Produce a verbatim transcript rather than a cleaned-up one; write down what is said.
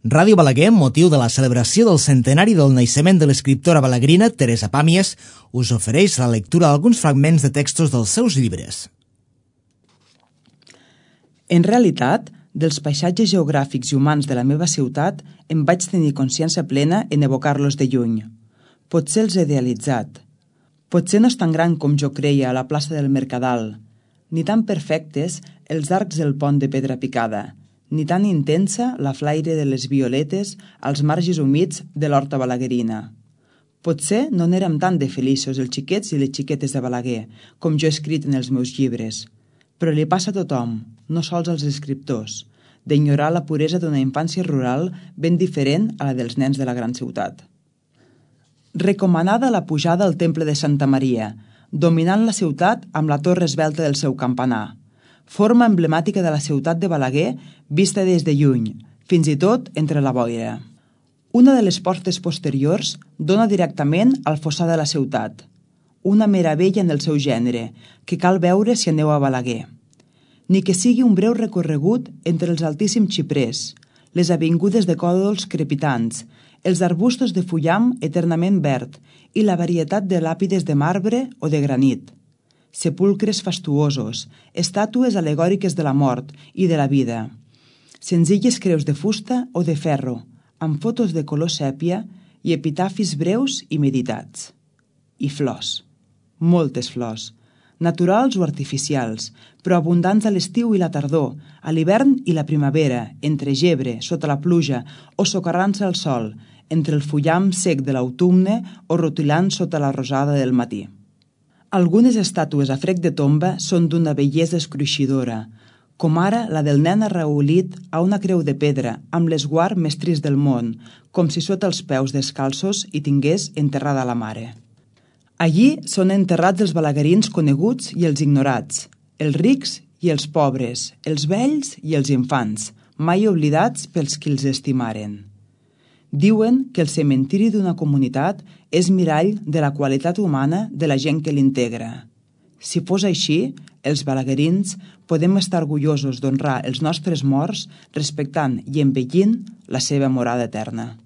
Ràdio Balaguer, amb motiu de la celebració del centenari del naixement de l'escriptora balaguerina Teresa Pàmies, us ofereix la lectura d'alguns fragments de textos dels seus llibres. En realitat, dels paisatges geogràfics i humans de la meva ciutat em vaig tenir consciència plena en evocar-los de lluny. Potser els he idealitzat. Potser no és tan gran com jo creia a la plaça del Mercadal, ni tan perfectes els arcs del pont de pedra picada, ni tan intensa la flaire de les violetes als marges humits de l'horta balaguerina. Potser no n'érem tan de feliços els xiquets i les xiquetes de Balaguer, com jo he escrit en els meus llibres, però li passa a tothom, no sols als escriptors, d'ignorar la puresa d'una infància rural ben diferent a la dels nens de la gran ciutat. Recomanada la pujada al temple de Santa Maria, dominant la ciutat amb la torre esvelta del seu campanar, forma emblemàtica de la ciutat de Balaguer vista des de lluny, fins i tot entre la boira. Una de les portes posteriors dona directament al fossar de la ciutat, una meravella en el seu gènere, que cal veure si aneu a Balaguer. Ni que sigui un breu recorregut entre els altíssims xiprers, les avingudes de còdols crepitants, els arbustos de fullam eternament verd i la varietat de làpides de marbre o de granit. Sepulcres fastuosos, estàtues alegòriques de la mort i de la vida, senzilles creus de fusta o de ferro, amb fotos de color sèpia i epitafis breus i meditats. I flors, moltes flors, naturals o artificials, però abundants a l'estiu i la tardor, a l'hivern i la primavera, entre gebre, sota la pluja o socarrant-se al sol, entre el fullam sec de l'autumne o rotilant sota la rosada del matí. Algunes estàtues a frec de tomba són d'una bellesa escruixidora, com ara la del nen arraulit a una creu de pedra amb l'esguard més trist del món, com si sota els peus descalços hi tingués enterrada la mare. Allí són enterrats els balaguerins coneguts i els ignorats, els rics i els pobres, els vells i els infants, mai oblidats pels qui els estimaren. Diuen que el cementiri d'una comunitat és mirall de la qualitat humana de la gent que l'integra. Si fos així, els balaguerins podem estar orgullosos d'honrar els nostres morts respectant i embellint la seva morada eterna.